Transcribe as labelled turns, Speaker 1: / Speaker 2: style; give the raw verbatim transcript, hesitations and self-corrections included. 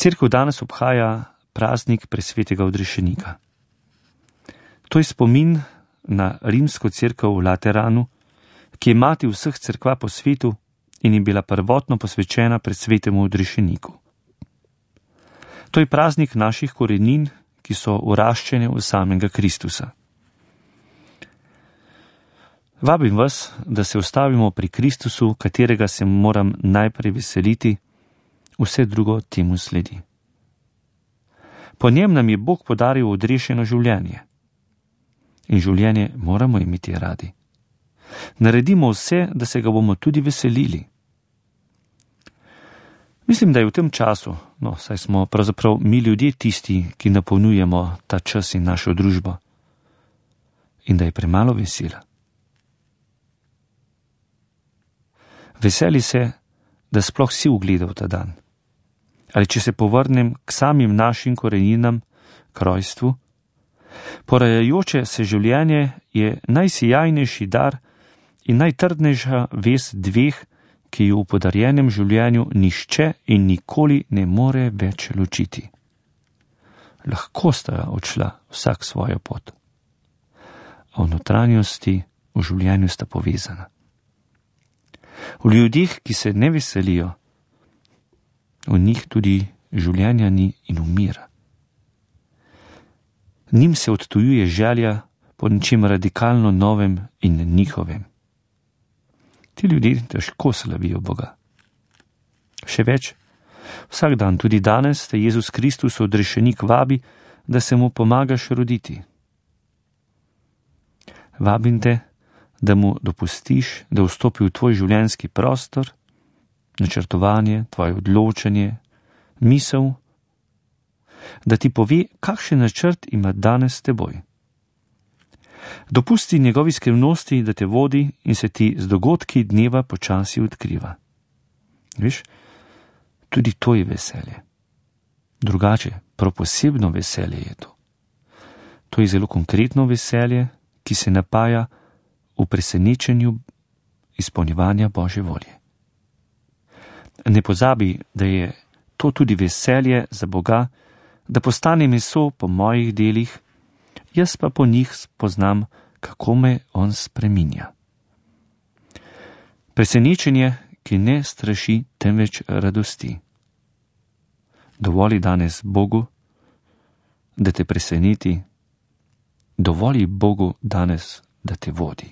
Speaker 1: Cerkev danes obhaja praznik presvetega odrešenika. To je spomin na rimsko cerkev v Lateranu, ki je mati vseh cerkva po svetu in je bila prvotno posvečena presvetemu odrešeniku. To je praznik naših korenin, ki so uraščene v samega Kristusa. Vabim vas, da se ustavimo pri Kristusu, katerega se moram najprej veseliti, vse drugo temu sledi. Po njem nam je Bog podaril odrešeno življenje. In življenje moramo imeti radi. Naredimo vse, da se ga bomo tudi veselili. Mislim, da je v tem času, no, saj smo pravzaprav mi ljudje tisti, ki napolnjujemo ta čas in našo družbo. In da je premalo vesela. Veseli se, da sploh si ugledal ta dan. Ali če se povrnem k samim našim koreninam, k rojstvu, porajajoče se življenje je najsijajnejši dar in najtrdnejša vez dveh, ki jo v podarjenem življenju nišče in nikoli ne more več ločiti. Lahko sta odšla vsak svojo pot. A v notranjosti v življenju sta povezana. V ljudeh, ki se ne veselijo, v njih tudi življenja ni in umira. Njim se odtujuje želja po nečem radikalno novem in njihovem. Ti ljudje težko slavijo Boga. Še več, vsak dan, tudi danes, te Jezus Kristus odrešenik vabi, da se mu pomagaš roditi. Vabim te, da mu dopustiš, da vstopi v tvoj življenjski prostor, načrtovanje, tvoje odločanje, misel, da ti pove, kakšen načrt ima danes s teboj. Dopusti njegovi skrivnosti, da te vodi in se ti z dogodki dneva počasi odkriva. Veš, tudi to je veselje. Drugače, prav posebno veselje je to. To je zelo konkretno veselje, ki se napaja v presenečenju izpolnjevanja Božje volje. Ne pozabi, da je to tudi veselje za Boga, da postane meso po mojih delih, jaz pa po njih spoznam, kako me on spreminja. Presenečenje, ki ne straši, temveč radosti. Dovoli danes Bogu, da te preseneti, dovoli Bogu danes, da te vodi.